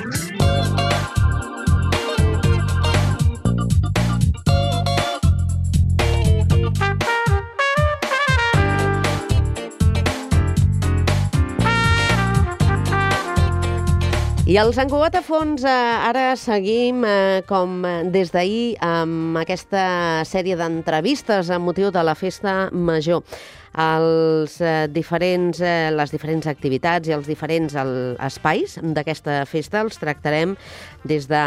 I al Sant Cugat a fons ara seguim com des d'ahir amb aquesta sèrie d'entrevistes amb motiu de la Festa Major. Les diferents activitats i els diferents espais d'aquesta festa els tractarem des de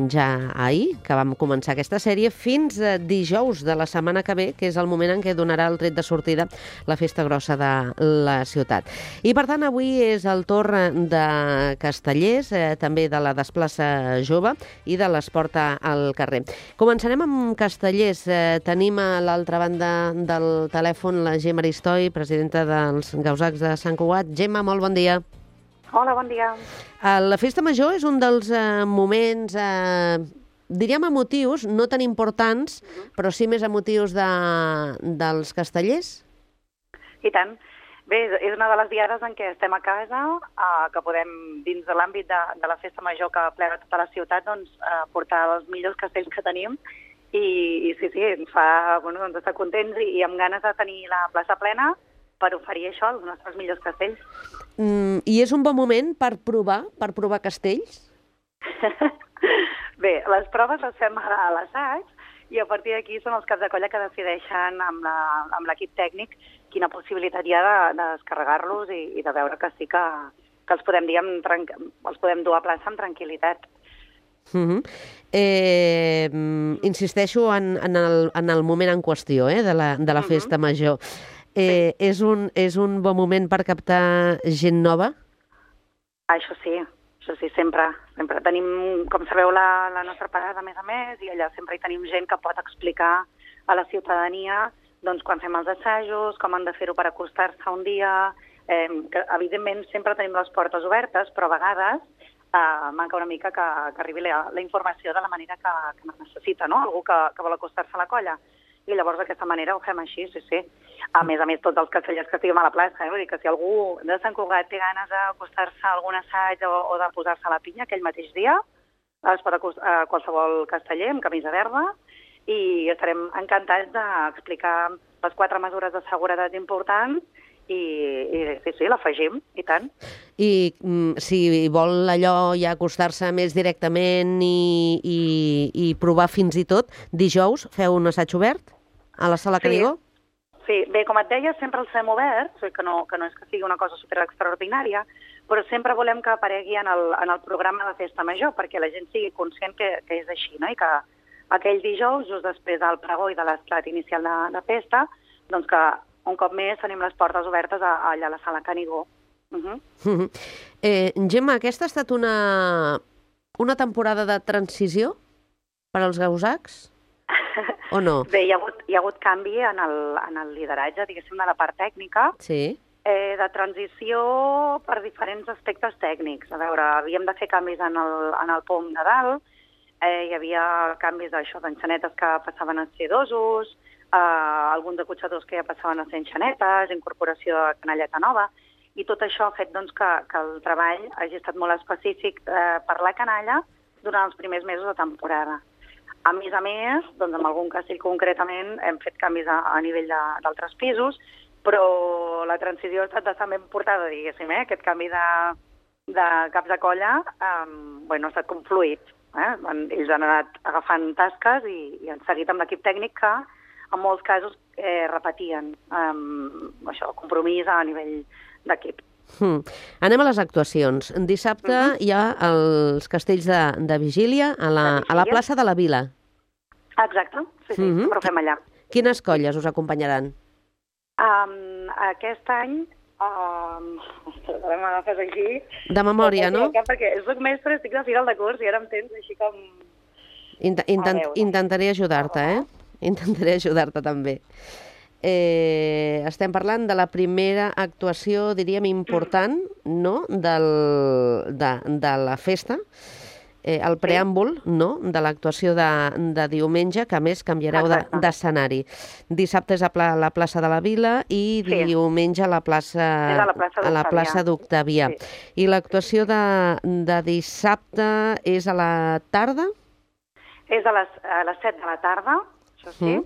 ja ahir, que vam començar aquesta sèrie, fins dijous de la setmana que ve, que és el moment en què donarà el tret de sortida la Festa Grossa de la ciutat. I per tant avui és el torn de Castellers, també de la Desplaça Jove i de l'Esport al carrer. Començarem amb Castellers. Tenim a l'altra banda del telèfon la Gemma Aristoi, presidenta dels Gausacs de Sant Cugat. Gemma, molt bon dia. Hola, bon dia. La Festa Major és un dels moments, diríem emotius, no tan importants, però sí més emotius dels castellers? I tant. Bé, és una de les diades en què estem a casa, que podem, dins de l'àmbit de la Festa Major que plega tota la ciutat, doncs, portar els millors castells que tenim. I sí, ens fa estar contents i amb ganes de tenir la plaça plena per oferir això als nostres millors castells. I és un bon moment per provar castells? Bé, les proves les fem a l'assaig i a partir d'aquí són els caps de colla que decideixen amb l'equip tècnic quina possibilitat hi ha de descarregar-los i de veure que sí que els podem, els podem dur a plaça amb tranquil·litat. Insisteixo en el moment en qüestió de la Festa Major. Sí. És un bon moment per captar gent nova? Això sí, sempre. Tenim, com sabeu, la nostra parada, a més, i allà sempre hi tenim gent que pot explicar a la ciutadania doncs, quan fem els assajos, com han de fer-ho per acostar-se un dia. Que, evidentment, sempre tenim les portes obertes, però a vegades manca una mica que arribi la informació de la manera que necessita, no? Algú que vol acostar-se a la colla. I llavors d'aquesta manera ho fem així, sí. A més, tots els castellers que estiguem a la plaça, vull dir que si algú de Sant Cugat té ganes d'acostar-se a algun assaig o de posar-se a la pinya aquell mateix dia, es pot acostar a qualsevol casteller amb camisa verda i estarem encantats d'explicar les 4 mesures de seguretat importants i sí, l'afegim, i tant. I si vol allò ja acostar-se més directament i provar fins i tot, dijous feu un assaig obert a la Sala Canigó? Sí, bé, com et deia, sempre els fem oberts, que no és que sigui una cosa super extraordinària, però sempre volem que aparegui en el programa de Festa Major, perquè la gent sigui conscient que és així, no? I que aquell dijous, just després del pregó i de l'esclat inicial de festa, doncs que un cop més tenim les portes obertes allà a la Sala Canigó. Gemma, aquesta ha estat una temporada de transició per als gausacs? O no? Bé, hi ha hagut canvi en el lideratge, diguéssim, de la part tècnica, sí. De transició per diferents aspectes tècnics. A veure, havíem de fer canvis en el pom de dalt, hi havia canvis d'enxanetes que passaven a ser dosos, alguns acotxadors que ja passaven a ser enxanetes, incorporació de canalleta nova, i tot això ha fet doncs, que el treball hagi estat molt específic per la canalla durant els primers mesos de temporada. A més, doncs, amb algun castell concretament hem fet canvis a nivell d'altres pisos, però la transició ha estat bastant ben portada, diguéssim, aquest canvi de caps de colla ha estat com fluid. Ells han anat agafant tasques i han seguit amb l'equip tècnic que en molts casos repetien compromís a nivell d'equip. Anem a les actuacions. Dissabte hi ha els castells de vigília a la plaça de la Vila. Exacte, sí, sempre ho fem allà. Quines colles us acompanyaran? Aquest any, m'agafes aquí... De memòria, no? Perquè soc mestre, estic de final de curs i ara em tens així com... Intentaré ajudar-te, Intentaré ajudar-te també. Estem parlant de la primera actuació, diríem, important, no?, de la festa. el preàmbul, no?, de l'actuació de diumenge, que a més canviareu d'escenari. Dissabte és a la plaça de la Vila i diumenge a la plaça d'Octavià. I l'actuació de dissabte és a la tarda? És a les 7 de la tarda, això sí.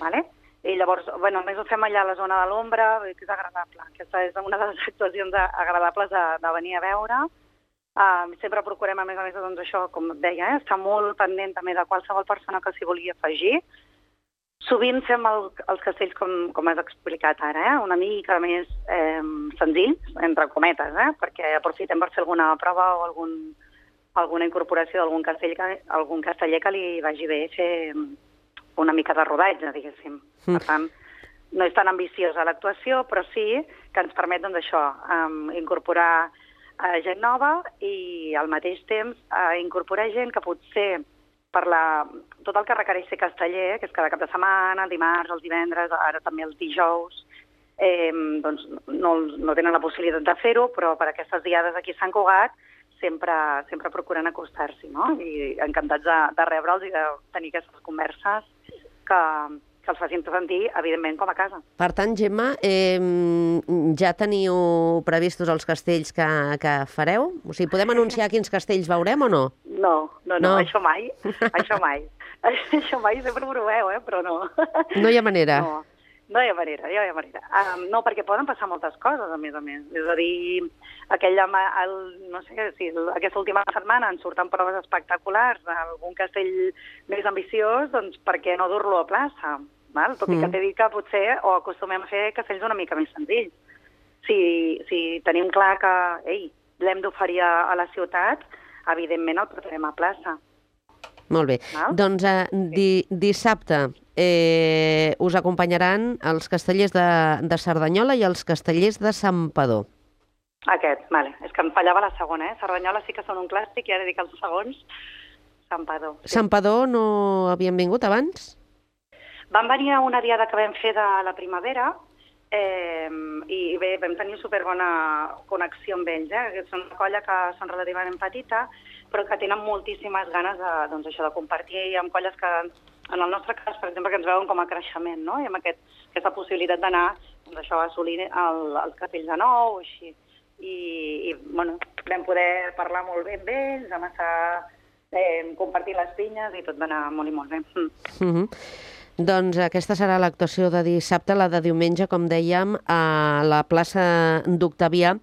Vale? I llavors, a més ho fem allà a la zona de l'ombra, que és agradable. Aquesta és una de les actuacions agradables de venir a veure. Sempre procurem, a més, doncs això, com et deia, estar molt pendent també de qualsevol persona que s'hi vulgui afegir. Sovint fem els castells, com has explicat ara, una mica més senzills, entre cometes, perquè aprofitem per fer alguna prova o alguna incorporació d'algun casteller que li vagi bé fer una mica de rodatge, diguéssim. Per tant, no és tan ambiciosa l'actuació, però sí que ens permet, doncs, això, incorporar gent nova i al mateix temps incorporar gent que potser per tot el que requereix ser casteller, que és cada cap de setmana, el dimarts, els divendres, ara també els dijous, doncs no tenen la possibilitat de fer-ho, però per aquestes diades aquí a Sant Cugat sempre procuren acostar-s'hi, no? I encantats de rebre'ls i de tenir aquestes converses que els facin sentir, evidentment, com a casa. Per tant, Gemma, ja teniu previstos els castells que fareu? O sigui, podem anunciar quins castells veurem o no? No, això mai. Això mai. Això mai, sempre ho proveu, però no. No hi ha manera. No hi ha manera. No, perquè poden passar moltes coses, a més. És a dir, no sé si aquesta última setmana ens surten proves espectaculars, algun castell més ambiciós, doncs per què no dur-lo a plaça? Tot i que t'he dit que potser o acostumem a fer castells una mica més senzills. Si tenim clar que l'hem d'oferir a la ciutat, evidentment el portarem a plaça. Molt bé. Doncs dissabte us acompanyaran els castellers de Cerdanyola i els castellers de Santpedor. Aquests, vale. És que em fallava la segona, Cerdanyola sí que són un clàssic i ara dic els segons, Santpedor. Santpedor no havien vingut abans? Van venir a una diada que vam fer de la primavera i bé, vam tenir superbona connexió amb ells. És una colla que són relativament petita, però que tenen moltíssimes ganes de compartir amb colles que, en el nostre cas, per exemple, que ens veuen com a creixement, no? I amb aquesta possibilitat d'anar a assolir els castells de nou, així. I vam poder parlar molt bé amb ells, vam estar compartint les pinyes i tot va anar molt i molt bé. Doncs aquesta serà l'actuació de dissabte, la de diumenge, com dèiem, a la plaça d'Octavià.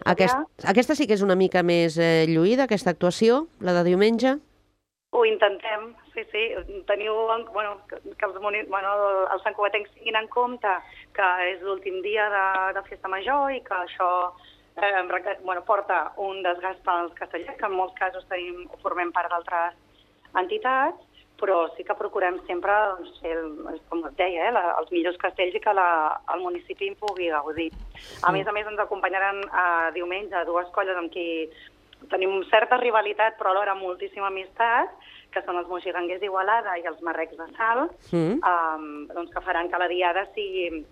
Aquesta sí que és una mica més lluïda, aquesta actuació, la de diumenge? Ho intentem, sí. Teniu, que els santcugatencs tinguin en compte que és l'últim dia de festa major i que això porta un desgast pels castellers, que en molts casos formem part d'altres entitats, però sí que procurem sempre fer, com et deia, els millors castells i que el municipi en pugui gaudir. A més, ens acompanyaran diumenge dues colles amb qui tenim certa rivalitat, però alhora moltíssima amistat, que són els moixiganguers d'Igualada i els marrecs de Salt, que faran que la diada sigui,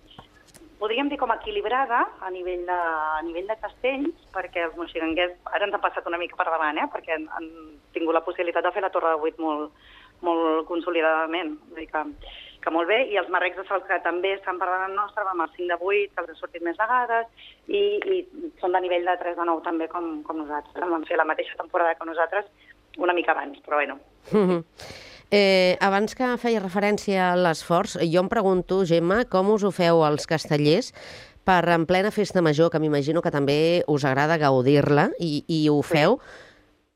podríem dir, com equilibrada a nivell de castells, perquè els moixiganguers ara ens han passat una mica per davant, perquè han tingut la possibilitat de fer la Torre de 8 molt consolidadament, vull dir que molt bé, i els marrecs de Salt que també estan per davant nostre, amb el 5 de 8, que els han sortit més vegades, i són de nivell de 3 de 9 també com nosaltres. Vam fer la mateixa temporada que nosaltres, una mica abans, però bueno. Abans que feia referència a l'esforç, jo em pregunto, Gemma, com us ho feu als castellers per en plena festa major, que m'imagino que també us agrada gaudir-la, i ho feu,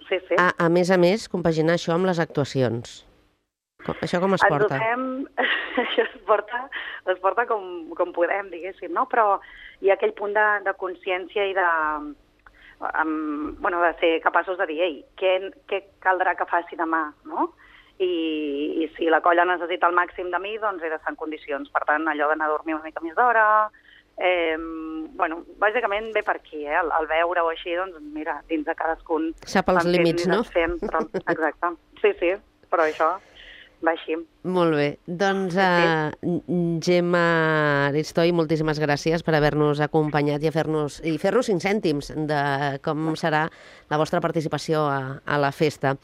sí. A més, compaginar això amb les actuacions. Això com es porta? Això es porta com podem, diguéssim, no? Però hi ha aquell punt de consciència i de ser capaços de dir, què caldrà que faci demà, no? I si la colla necessita el màxim de mi, doncs he d'estar en condicions. Per tant, allò d'anar a dormir una mica més d'hora, bàsicament ve per aquí, el veure-ho així, doncs mira, dins de cadascun... Sap els límits, no? Exacte, sí, però això... va així. Molt bé. Doncs, Gemma Aristoi, moltíssimes gràcies per haver-nos acompanyat i fer-nos 5 cèntims de com serà la vostra participació a la festa.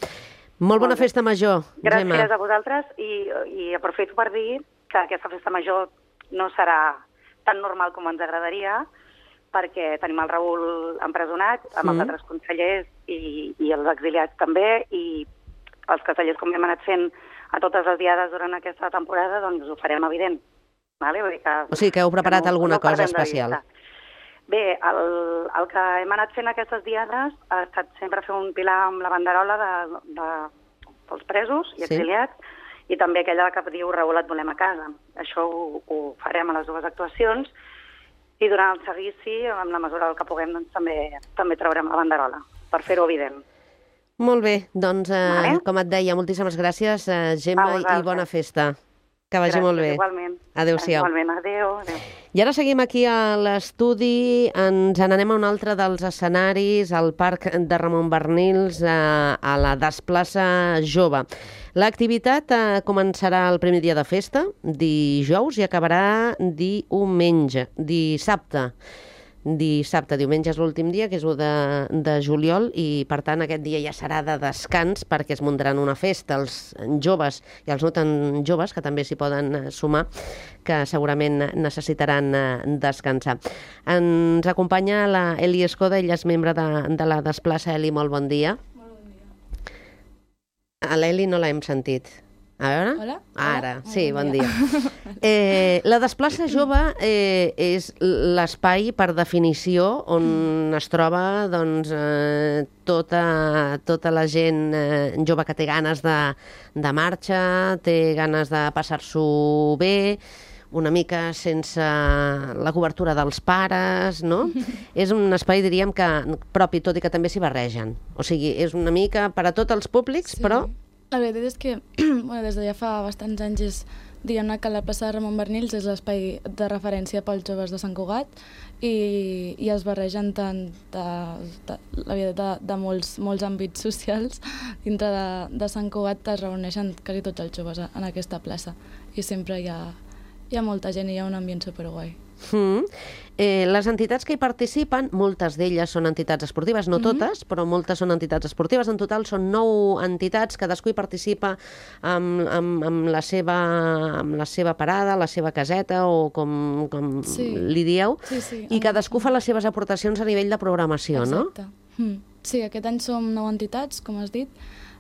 Molt bona festa major, Gemma. Gràcies a vosaltres i aprofito per dir que aquesta festa major no serà tan normal com ens agradaria, perquè tenim el Raül empresonat, amb els altres consellers i els exiliats també, i els castellers, com hem anat fent a totes les diades durant aquesta temporada, doncs ho farem evident. Vale? Vull dir que, o sigui que heu preparat alguna cosa especial. Bé, el que hem anat fent aquestes diades ha estat sempre fer un pilar amb la banderola dels presos i exiliats, i també aquella que diu Raül, et volem a casa. Això ho farem a les 2 actuacions, i durant el seguici, en la mesura del que puguem, doncs, també traurem la banderola, per fer-ho evident. Molt bé, doncs, com et deia, moltíssimes gràcies, Gemma, i bona festa. Que vagi molt bé. Igualment. Adéu-siau. Igualment, adéu. I ara seguim aquí a l'estudi, ens n'anem a un altre dels escenaris, al Parc de Ramon Barnils, a la Desplaça Jove. L'activitat començarà el primer dia de festa, dijous, i acabarà dissabte. Diumenge és l'últim dia, que és 1 de juliol, i per tant aquest dia ja serà de descans perquè es muntaran una festa. Els joves i els no tan joves, que també s'hi poden sumar, que segurament necessitaran descansar. Ens acompanya la Eli Escoda, ella és membre de la Desplaça. Eli, molt bon dia. Molt bon dia. A l'Eli no l'hem sentit. A veure? Hola? Ara, sí, bon dia. La Desplaça Jove és l'espai, per definició, on es troba doncs, tota la gent jove que té ganes de marxa, té ganes de passar-s'ho bé, una mica sense la cobertura dels pares, no? És un espai, diríem, que propi, tot i que també s'hi barregen. O sigui, és una mica per a tots els públics, però... La veritat és que des de ja fa bastants anys diguem-ne que la plaça de Ramon Barnils és l'espai de referència pels joves de Sant Cugat i es barregen tant la vida de molts àmbits socials dintre de Sant Cugat. Es reuneixen quasi tots els joves en aquesta plaça i sempre hi ha molta gent i hi ha un ambient superguai. Les entitats que hi participen, moltes d'elles són entitats esportives, no totes, però moltes són entitats esportives. En total són 9 entitats, cadascú hi participa amb la seva parada, la seva caseta, o com li dieu, i cadascú fa les seves aportacions a nivell de programació, no? Exacte. Sí, aquest any som 9 entitats, com has dit.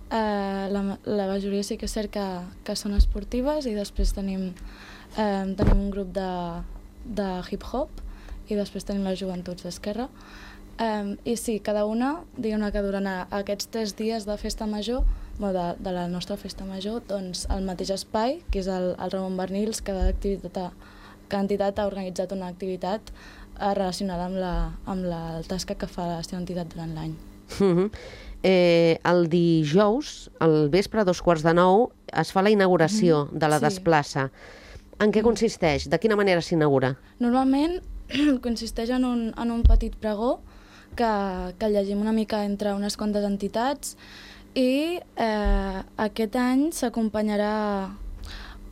La majoria sí que és cert que són esportives, i després tenim un grup de hip-hop, i després tenim les joventuts d'Esquerra. I sí, cada una, diguem-ne que durant aquests 3 dies de festa major, de la nostra festa major, doncs al mateix espai, que és el Ramon Barnils, cada entitat ha organitzat una activitat relacionada amb la tasca que fa la seva entitat durant l'any. El dijous, al vespre, a 8:45, es fa la inauguració de la Desplaça. En què consisteix? De quina manera s'inaugura? Normalment consisteix en un petit pregó que llegim una mica entre unes quantes entitats, i aquest any s'acompanyarà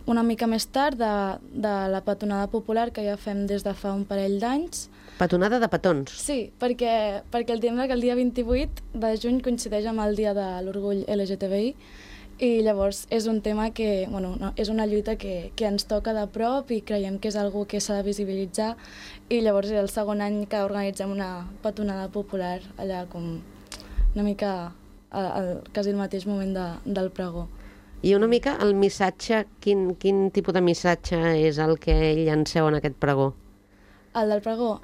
una mica més tard de la petonada popular que ja fem des de fa un parell d'anys. Petonada de petons? Sí, perquè el dia 28 de juny coincideix amb el dia de l'orgull LGTBI, i llavors és un tema que, és una lluita que ens toca de prop i creiem que és algo que s'ha de visibilitzar, i llavors és el segon any que organitzem una petonada popular allà com una mica quasi el mateix moment del pregó. I una mica el missatge, quin tipus de missatge és el que llanceu en aquest pregó? El del pregó?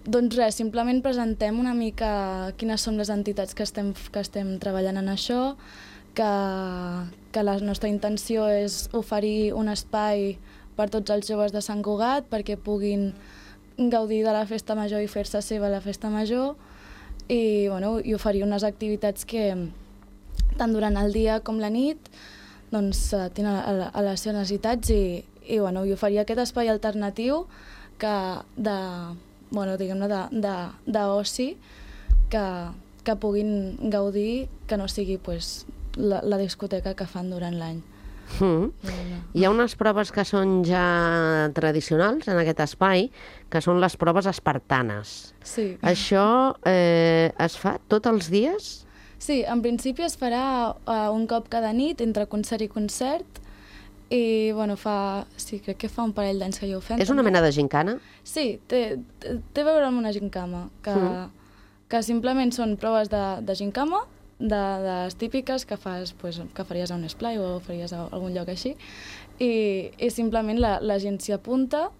Doncs res, simplement presentem una mica quines són les entitats que estem treballant en això, que la nostra intenció és oferir un espai per tots els joves de Sant Cugat perquè puguin gaudir de la festa major i fer-se seva la festa major, i oferir unes activitats que tant durant el dia com la nit doncs tenen a les seves necessitats, i oferir aquest espai alternatiu d'oci que puguin gaudir, que no sigui la discoteca que fan durant l'any. Hi ha unes proves que són ja tradicionals en aquest espai, que són les proves espartanes. Sí. Això es fa tots els dies? Sí, en principi es farà un cop cada nit, entre concert i concert, i bueno, crec que fa un parell d'anys que ja ho fem. És una mena de gincana? Sí, té a veure amb una gincama, que simplement són proves de gincama, de les típiques que fas, que faries a un esplai o faries a algun lloc així, i simplement la gent s'hi apunta.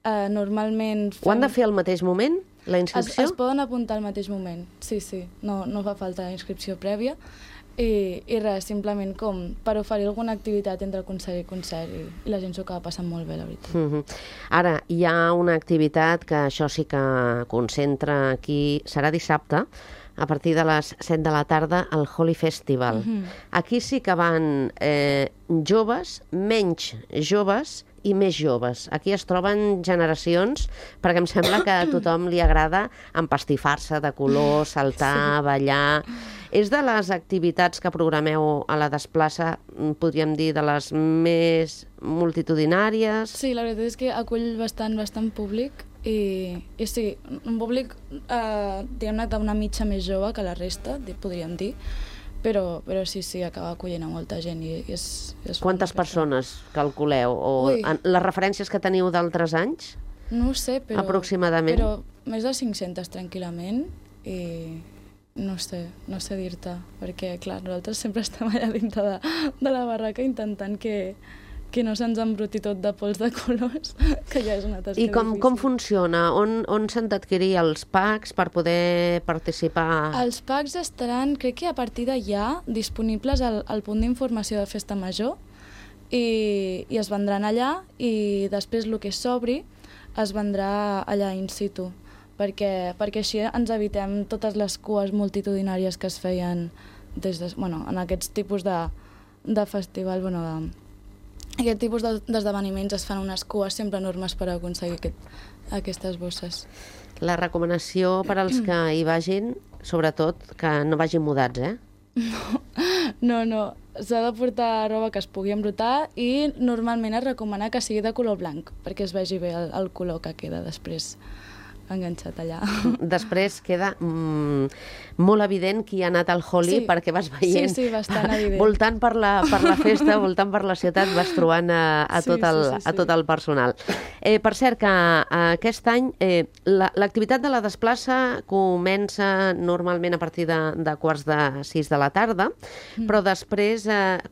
Normalment... Ho han de fer al mateix moment, la inscripció? Es poden apuntar al mateix moment, sí. No fa falta inscripció prèvia. I res, simplement com per oferir alguna activitat entre concert i concert, i la gent s'ho acaba passant molt bé, la veritat. Ara, hi ha una activitat que això sí que concentra aquí, serà dissabte, a partir de les 7 de la tarda, al Holy Festival. Aquí sí que van joves, menys joves i més joves. Aquí es troben generacions, perquè em sembla que a tothom li agrada empastifar-se de color, saltar, ballar... És de les activitats que programeu a la Desplaça, podríem dir, de les més multitudinàries? Sí, la veritat és que acull bastant públic i sí, un públic, diguem-ne, d'una mitja més jove que la resta, podríem dir, però sí, acaba acollint a molta gent i és Quantes persones calculeu? O les referències que teniu d'altres anys? No ho sé, però... Aproximadament? Però més de 500 tranquil·lament i... No sé dir-te, perquè, clar, nosaltres sempre estem allà dintre de la barraca intentant que no se'ns embruti tot de pols de colors, que ja és una tasca difícil. I com funciona? On s'han d'adquirir els packs per poder participar? Els packs estaran, crec que a partir d'allà, disponibles al punt d'informació de Festa Major, i es vendran allà, i després el que s'obri es vendrà allà in situ, perquè així ens evitem totes les cues multitudinàries que es feien en aquests tipus de festival, aquest tipus d'esdeveniments es fan unes cues sempre enormes per aconseguir aquestes bosses. La recomanació per als que hi vagin, sobretot, que no vagin mudats, eh? No. S'ha de portar roba que es pugui embrutar i normalment es recomana que sigui de color blanc, perquè es vegi bé el color que queda després enganxat allà. Després queda molt evident qui ha anat al Holy, perquè vas veient... Sí, bastant evident. Voltant per la festa, voltant per la ciutat, vas trobant a tot el personal. Per cert, que aquest any l'activitat de la Desplaça comença normalment a partir de quarts de 6 de la tarda, però després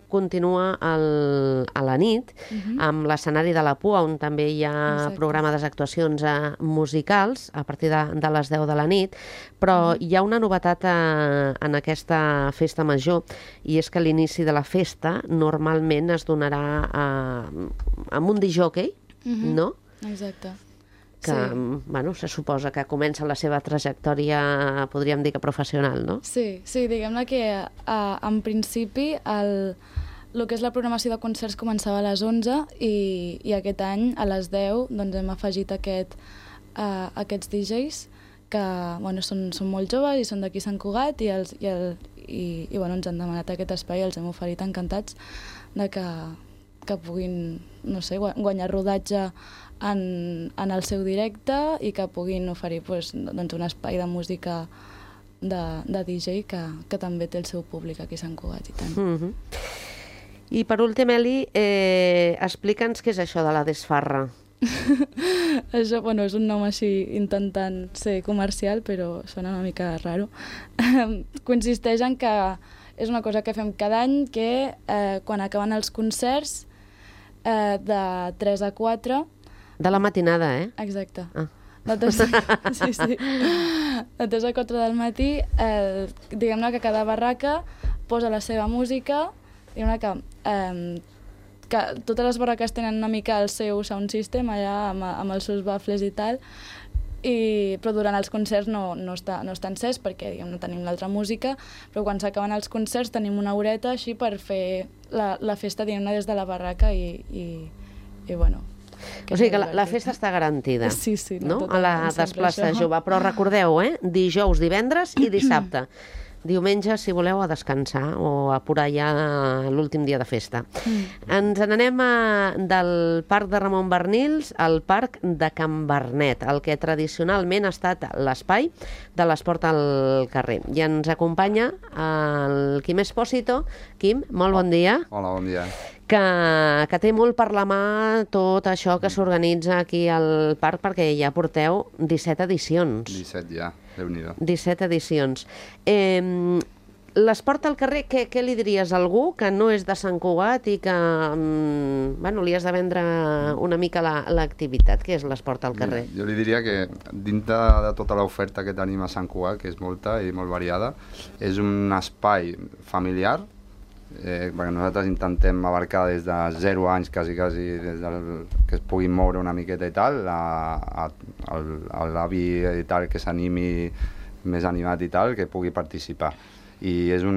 continua a la nit amb l'escenari de la Pua, on també hi ha programades actuacions musicals, a partir de les 10 de la nit, però hi ha una novetat en aquesta festa major, i és que l'inici de la festa normalment es donarà amb un discjòquei, no? Exacte. Que, se suposa que comença la seva trajectòria, podríem dir que professional, no? Sí, diguem-ne que en principi el que és la programació de concerts començava a les 11 i aquest any a les 10 hem afegit aquests DJs que són molt joves i són d'aquí Sant Cugat i ens han demanat aquest espai i els hem oferit encantats que puguin, guanyar rodatge en el seu directe i que puguin oferir un espai de música de DJ que també té el seu públic aquí a Sant Cugat i tant. I per últim, Eli, explica'ns què és això de la desfarra. Això, és un nom així intentant ser comercial, però sona una mica raro. Consisteix en que és una cosa que fem cada any, que quan acaben els concerts de 3 a 4... De la matinada, eh? Exacte. Sí. De 3 a 4 del matí, diguem-ne que cada barraca posa la seva música, diguem-ne que totes les barraques tenen una mica el seu sound system allà amb els seus baffles i tal, però durant els concerts no està encès perquè no tenim l'altra música, però quan s'acaben els concerts tenim una horeta així per fer la festa des de la barraca i bueno... O sigui que la festa està garantida, sí, no? A la Desplaça Jove, però recordeu, dijous, divendres i dissabte. diumenge, si voleu, a descansar o a apurar ja l'últim dia de festa. Ens n'anem del Parc de Ramon Barnils al Parc de Can Bernet, el que tradicionalment ha estat l'espai de l'esport al carrer. I ens acompanya el Quim Espósito. Quim, molt bon dia. Hola, bon dia. Que té molt per la mà tot això que s'organitza aquí al parc, perquè ja porteu 17 edicions. 17 ja, Déu-n'hi-do. 17 edicions. L'esport al carrer, què li diries a algú que no és de Sant Cugat i que li has de vendre una mica l'activitat, que és l'esport al carrer? Jo li diria que dintre de tota l'oferta que tenim a Sant Cugat, que és molta i molt variada, és un espai familiar, perquè nosaltres intentem abarcar des de 0 anys, quasi, des que es puguin moure una miqueta i tal, l'avi i tal, que s'animi més animat i tal, que pugui participar. I és un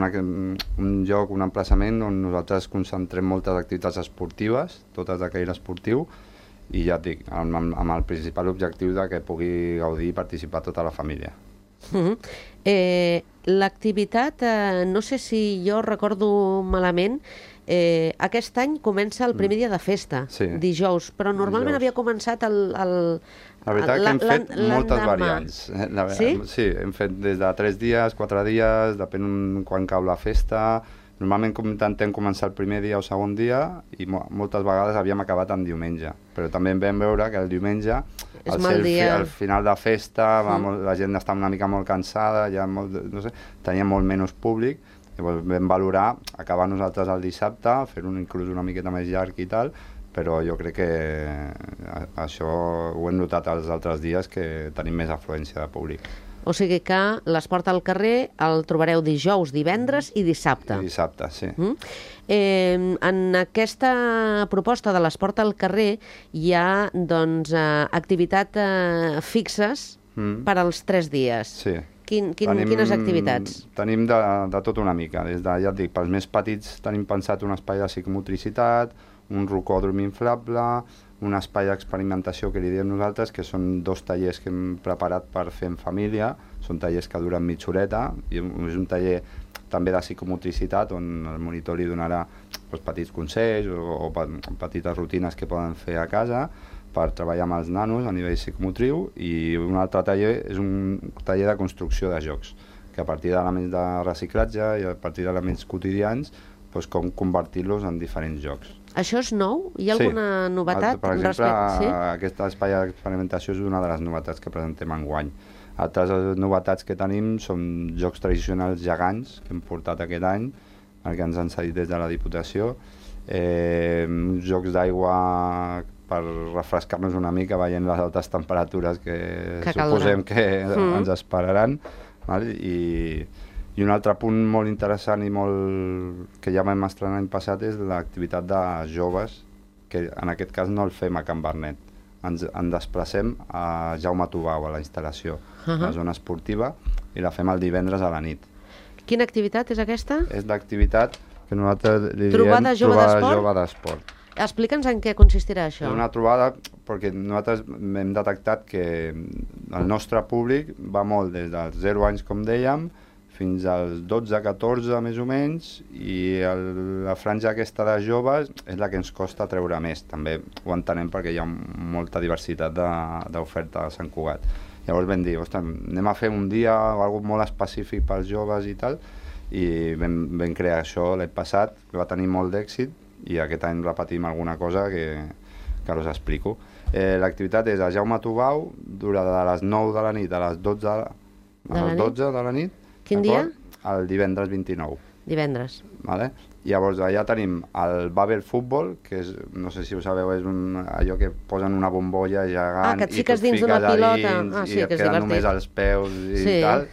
lloc, un emplaçament on nosaltres concentrem moltes activitats esportives, totes de caire esportiu, i ja et dic, amb el principal objectiu de que pugui gaudir i participar tota la família. L'activitat, no sé si jo recordo malament, aquest any comença el primer dia de festa, dijous, però normalment havia començat La veritat que hem fet moltes variants. Sí, hem fet des de 3 dies, 4 dies, depèn quan cau la festa. Normalment intentem començar el primer dia o segon dia i moltes vegades havíem acabat en diumenge. Però també vam veure que el diumenge, al final de festa, la gent està una mica molt cansada, tenia molt menys públic. Llavors vam valorar acabar nosaltres el dissabte, fer-ho inclús una miqueta més llarg i tal, però jo crec que això ho hem notat els altres dies, que tenim més afluència de públic. O sigui que l'esport al carrer el trobareu dijous, divendres i dissabte. I dissabte, sí. En aquesta proposta de l'esport al carrer hi ha activitats fixes per als 3 dies. Sí. Quines activitats? Tenim de tot una mica. Ja et dic, pels més petits tenim pensat un espai de psicomotricitat, un rocòdrom inflable, un espai d'experimentació que li diem nosaltres, que són 2 tallers que hem preparat per fer en família. Són tallers que duren mitja horeta, i és un taller també de psicomotricitat on el monitor li donarà petits consells o petites rutines que poden fer a casa per treballar amb els nanos a nivell psicomotriu. I un altre taller és un taller de construcció de jocs, que a partir d'elements de reciclatge i a partir d'elements quotidians, com convertir-los en diferents jocs. Això és nou? Hi ha alguna novetat? Per exemple, aquest espai d'experimentació és una de les novetats que presentem enguany. Altres novetats que tenim són jocs tradicionals gegants que hem portat aquest any, el que ens han cedit des de la Diputació, jocs d'aigua per refrescar-nos una mica veient les altes temperatures que suposem que ens esperaran. I un altre punt molt interessant i que ja vam estrenar l'any passat és l'activitat de joves, que en aquest cas no el fem a Can Bernet. Ens desplacem a Jaume Tubau, a la instal·lació, a la zona esportiva, i la fem el divendres a la nit. Quina activitat és aquesta? És l'activitat que nosaltres li diem Trobada jove d'esport. Explica'ns en què consistirà això. És una trobada perquè nosaltres hem detectat que el nostre públic va molt des dels 0 anys, com dèiem, fins als 12-14 més o menys, i la franja aquesta de joves és la que ens costa treure més. També ho entenem perquè hi ha molta diversitat d'oferta a Sant Cugat. Llavors vam dir, anem a fer un dia o alguna molt específic pels joves i tal, i vam crear això l'any passat, que va tenir molt d'èxit, i aquest any repetim alguna cosa que ara us explico. L'activitat és a Jaume Tubau, dura de les 9 de la nit a les 12 de la nit. Quin dia? El divendres 29. Divendres. Llavors allà tenim el Babel Futbol, que és, no sé si ho sabeu, és allò que posen una bombolla gegant que et fiques dins d'una pilota i et queden només els peus i tal.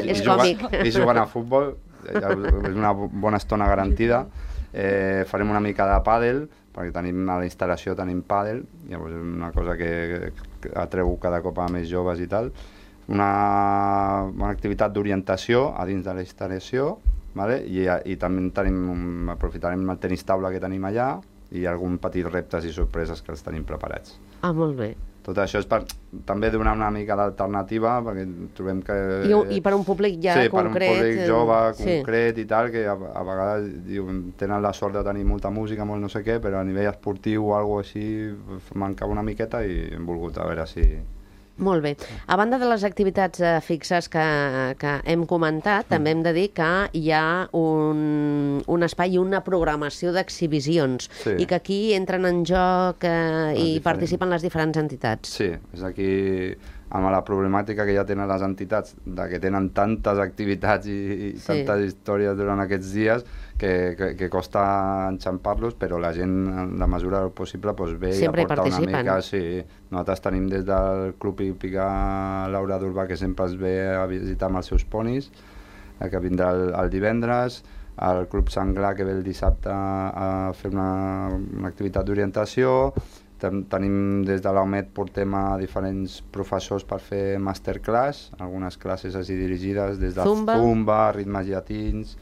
És còmic. I juguen a futbol, és una bona estona garantida. Farem una mica de pàdel, perquè tenim a la instal·lació pàdel, llavors és una cosa que atreu cada cop a més joves i tal. Una activitat d'orientació a dins de la instal·lació, i també aprofitarem el tenis taula que tenim allà i algun petit reptes i sorpreses que els tenim preparats. Molt bé. Tot això és per també donar una mica d'alternativa, perquè trobem que... I per un públic ja concret... Sí, concret... per un públic jove, concret i tal, que a vegades tenen la sort de tenir molta música, molt no sé què, però a nivell esportiu o alguna cosa així mancava una miqueta i hem volgut a veure si... Molt bé. A banda de les activitats fixes que hem comentat, també hem de dir que hi ha un espai i una programació d'exhibicions i que aquí entren en joc i participen les diferents entitats. Sí, és aquí amb la problemàtica que ja tenen les entitats, de que tenen tantes activitats i tantes històries durant aquests dies que costa enxampar-los, però la gent, en la mesura del possible, ve i aporta una mica. Sí. Nosaltres tenim des del Club Hípica Laura d'Urbà, que sempre es ve a visitar amb els seus ponis, que vindrà el divendres, el Club Sanglar, que ve el dissabte a fer una activitat d'orientació. Tenim des de l'OMED, portem a diferents professors per fer masterclass, algunes classes així dirigides des de Zumba, ritmes llatins,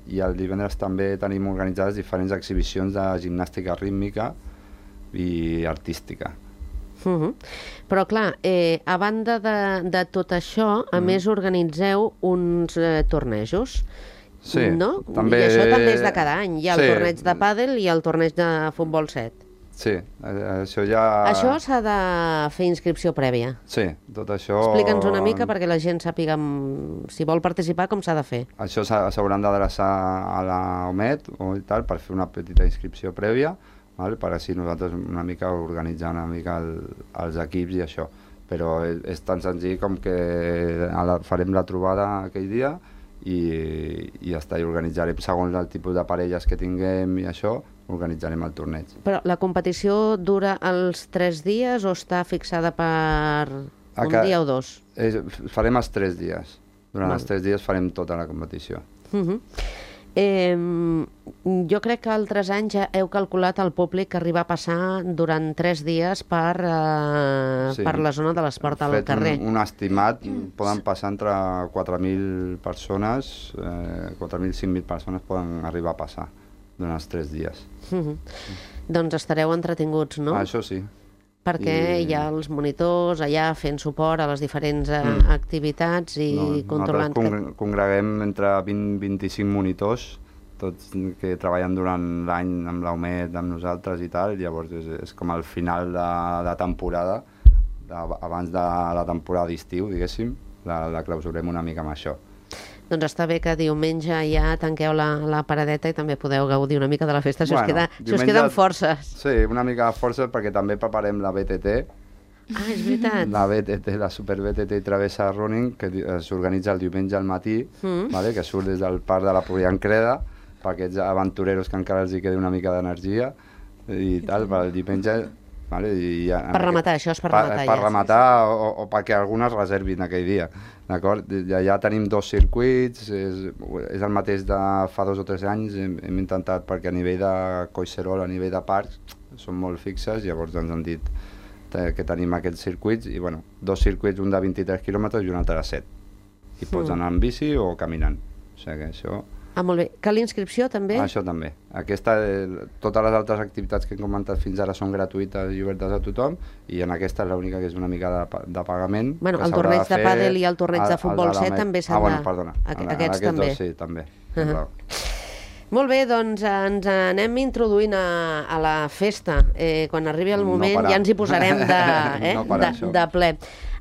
i el divendres també tenim organitzades diferents exhibicions de gimnàstica rítmica i artística. Però clar, a banda de tot això, a més organitzeu uns tornejos. Sí, no? també... I això també és de cada any. Hi ha el torneig de pàdel i el torneig de futbol 7. Sí, això ja... Això s'ha de fer inscripció prèvia. Sí, tot això... Explica'ns una mica perquè la gent sàpiga, si vol participar, com s'ha de fer. Això s'hauran d'adreçar a la OMED o tal, per fer una petita inscripció prèvia, per així nosaltres una mica organitzar una mica els equips i això. Però és tan senzill com que farem la trobada aquell dia i ja està, i organitzarem segons el tipus de parelles que tinguem i això, organitzarem el torneig. Però la competició dura els 3 dies o està fixada per un dia o 2? Farem els 3 dies. Durant els 3 dies farem tota la competició. Jo crec que altres anys ja heu calculat el públic que arriba a passar durant 3 dies per la zona de l'esport al carrer. Un estimat, poden passar entre 4.000 persones, 4.000, 5.000 persones poden arribar a passar durant els 3 dies. Doncs estareu entretinguts, no? Això sí. Perquè hi ha els monitors allà fent suport a les diferents activitats i controlant... Nosaltres congreguem entre 20 i 25 monitors, tots que treballen durant l'any amb l'OMED, amb nosaltres i tal, llavors és com el final de temporada, abans de la temporada d'estiu, diguéssim, la clausurem una mica amb això. Doncs està bé que diumenge ja tanqueu la paradeta i també podeu gaudir una mica de la festa, si us queden forces. Sí, una mica de forces perquè també preparem la BTT. Ah, és veritat. La BTT, la Super BTT i Travessa Running, que s'organitza el diumenge al matí, que surt des del parc de la Poliancreda, per aquests aventureros que encara els hi quedi una mica d'energia i tal, per el diumenge... Per rematar, això és per rematar. Per rematar o perquè algunes reservin aquell dia, d'acord? Ja tenim 2 circuits, és el mateix de fa 2 o 3 anys, hem intentat, perquè a nivell de Collserola, a nivell de parcs, són molt fixes, llavors ens han dit que tenim aquests circuits, i 2 circuits, un de 23 quilòmetres i un altre de 7. I pots anar en bici o caminant, o sigui que això... Ah, molt bé. Cal inscripció, també? Això també. Totes les altres activitats que hem comentat fins ara són gratuïtes i obertes a tothom, i en aquesta és l'única que és una mica de pagament. Bueno, el torneig de pàdel i el torneig de futbol 7 també s'han de... perdona. Aquests també. Sí, també. Molt bé, doncs ens anem introduint a la festa. Quan arribi el moment ja ens hi posarem de ple.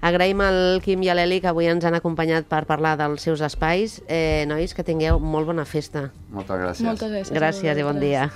Agraïm al Quim i a l'Eli que avui ens han acompanyat per parlar dels seus espais. Nois, que tingueu molt bona festa. Moltes gràcies. Moltes gràcies. Gràcies i bon dia.